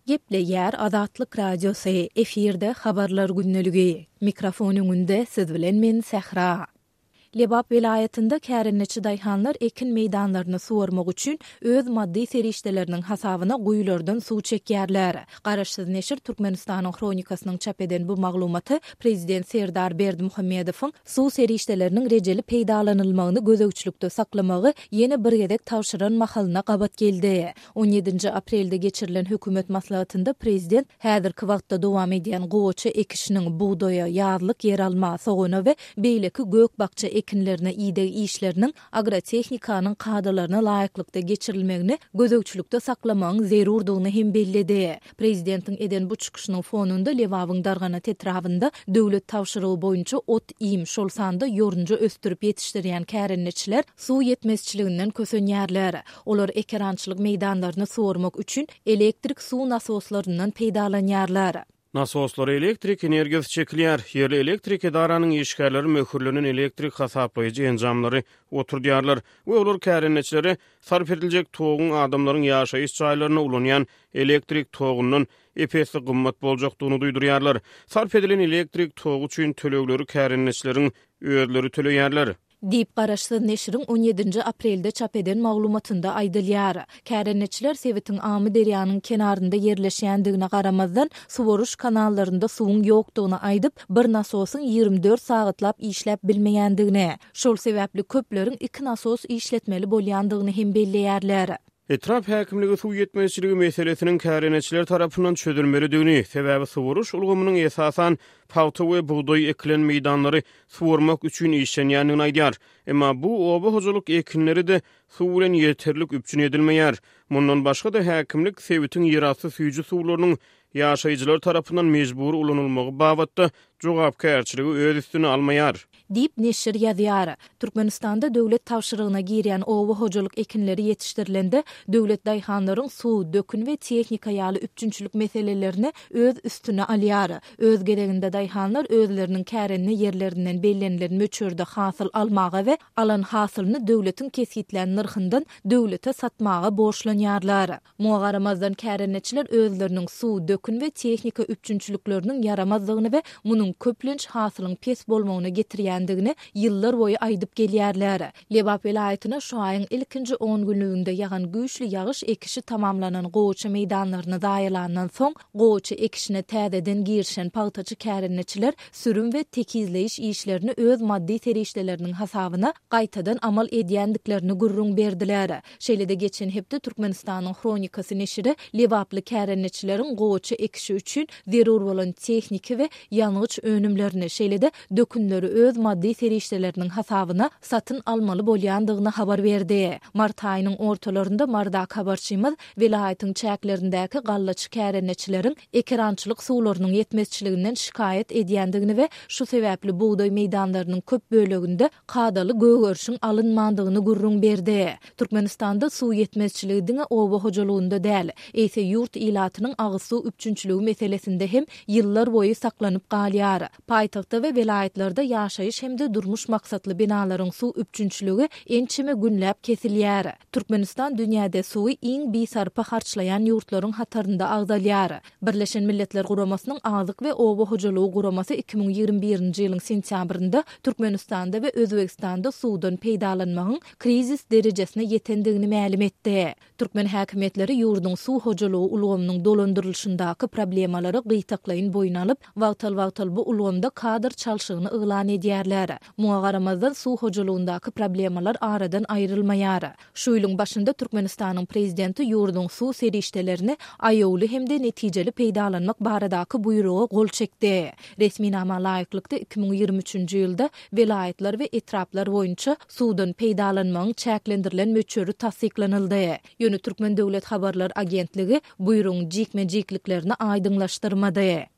Gepleýär Azatlyk Radiosy, efirde Habarlar gündeligi. Mikrofon öňünde siz bilen men Sähra. Lebap welaýatynda kärendeçi daýhanlar ekin meýdanlaryny suwarmak üçin öz maddy serişdeleriniň hasabyna guýulardan suw çekýärler. Garaşsyz neşir Türkmenistanyň Hronikasynyň çap eden bu maglumaty prezident Serdar Berdimuhamedowyň suw serişdeleriniň rejeli peýdalanylmagyny gözegçilikde saklamagy ýene bir gezek tabşyran mahalyna gabat geldi. On ýedinji aprelde geçirilen hökümet maslahatynda prezident häzirki wagtda dowam edýän gowaça ekişiniň, bugdaýa, ýazlyk ýeralma, sogana we beýleki gök-bakja ekinlerine ideg işleriniň agrotehnikanyň kadalaryna laýyklykda geçirilmegini gözegçilikde saklamagyň zerurdygyny hem belledi. Prezidentiň eden bu çykyşynyň fonunda Lebabyň Darganat etrabynda döwlet tabşyrygy boýunça ot-iým, şol sanda ýorunja ösdürip ýetişdirýän kärendeçiler suw ýetmezçiliginden kösenýärler. Olar ekerançylyk meýdanlaryny suwarmak üçin elektrik suw nasoslaryndan peýdalanýarlar. Nasoslara elektrik energiýasy çekilýär. Ýerli elektrik edaranyň işgärleri möhürlenen elektrik hasaplaýjy enjamlary oturdýarlar we olar kärendeçilere sarp ediljek toguň adamlaryň ýaşaýyş jaýlarynda ulanýan elektrik togundan ep-esli gymmat boljakdygyny duýdurýarlar. Sarp edilen elektrik togy üçin tölegleri kärendeçileriň özleri töleýärler. Diýip, garaşsyz neşiriň on ýedinji aprelde çap eden maglumatynda aýdylýar. Kärendeçiler sebitiň Amyderýanyň kenarynda ýerleşýändigine garamazdan, suwaryş kanallarynda suwuň ýokdugyny aýdyp, bir nasosyň 24 sagatlap işläp bilmeýändigini, şol sebäpli köpleriň iki nasos işletmeli bolýandygyny hem belleýärler. Etrap häkimligi suw ýetmezçiligi meselesiniň kärendeçiler tarapyndan çözülmelidigini, sebäbi suwaryş ulgamynyň esasan pagta we bugdaý ekilen meýdanlary suwarmak üçin işlenýändigini aýdýar. Emma bu oba hojalyk ekinleri-de suw bilen ýeterlik üpjün edilmeýär. Mundan başga-da, häkimlik sebitiň ýerasty süýji suwlarynyň ýaşaýjylar tarapyndan mejbury ulanylmagy babatda jogapkärçiligi öz üstüne almaýar. Diýip, neşir ýazýar. Türkmenistanda döwlet tabşyrygyna girýän oba hojalyk ekinleri ýetişdirilende, döwlet daýhanlaryň suw, dökün we tehnika ýaly üpjünçilik meselelerini öz üstüne alýar. Öz gezeginde daýhanlar özleriniň kärende ýerlerinden bellenilen möçberde hasyl almaga we alan hasylyny döwletiň kesgitlän nyrhyndan döwlete satmaga borçlanýarlar. Muňa garamazdan kärendeçiler özleriniň suw, dökün we tehnika üpjünçilikleriniň ýaramazdygyny we munuň köplenç hasylyň pes bolmagyna getirýändigini ýyllar boýy aýdyp gelýärler. Lebap welaýatyna şu aýyň ilkinji on günlüginde ýagan güýçli ýagyş ekişi tamamlanan gowaça meýdanlaryny zaýalandan soň, gowaça ekişine täzeden girişen pagtaçy kärendeçiler sürüm we tekizleýiş işlerini öz maddy serişdeleriniň hasabyna gaýtadan amal edýändiklerini gürrüň berdiler. Şeýle-de geçen hepde Türkmenistanyň Hronikasy neşiri lebaply kärendeçileriň gowaça ekişi üçin zerur bolan tehniki we ýangyç önümlerini, şeýle-de dökünleri öz maddy serişdeleriniň hasabyna satyn almaly bolýandygyny habar berdi. Mart aýynyň ortalarynda Marydaky habarçymyz welaýatyň çäklerindäki gallaçy kärendeçileriň ekerançylyk suwlarynyň ýetmezçiliginden şikaýat edýändigini we şu sebäpli bugdaý meýdanlarynyň köp böleginde kadaly gögerişiň alynmandygyny gürrüň berdi. Türkmenistanda suw ýetmezçiligi diňe oba hojalygynda däl, eýse ýurt ilatynyň agyz suw üpjünçiligi meselesinde hem ýyllar boýy saklanyp galýar. Paýtagtda we welaýatlarda ýaşaýyş hem-de durmuş maksatly binalaryň suw üpjünçiligi ençeme günläp kesilýär. Türkmenistan dünýäde suwy iň bisarpa harçlaýan ýurtlaryň hatarynda agzalýar. Birleşen Milletler Guramasynyň Azyk we oba hojalygy guramasy 2021-nji ýylyň sentýabrynda Türkmenistanda we Özbegistanda suwdan peýdalanmagyň krizis derejesine ýetendigini mälim etdi. Türkmen häkimiýetleri ýurduň suw hojalygy ulgamynyň dolandyrylyşyndaky problemalary gytaklaýyn boýun alyp, wagtal-wagtal bu ulgamda kadr çalşygyny yglan edýärler. Muňa garamazdan, suw hojalygyndaky problemalar aradan aýrylmaýar. Şu ýylyň başynda Türkmenistanyň Prezidenti ýurduň suw serişdelerini aýawly hem-de netijeli peýdalanmak baradaky buýruga gol çekdi. Resminama laýyklykda, 2023-nji ýylda welaýatlar we etraplar boýunça suwdan peýdalanmagyň çäklendirilen möçberi tassyklanyldy. Ýöne Türkmen döwlet habarlar agentligi buýrugyň jikme-jikliklerini aýdyňlaşdyrmady.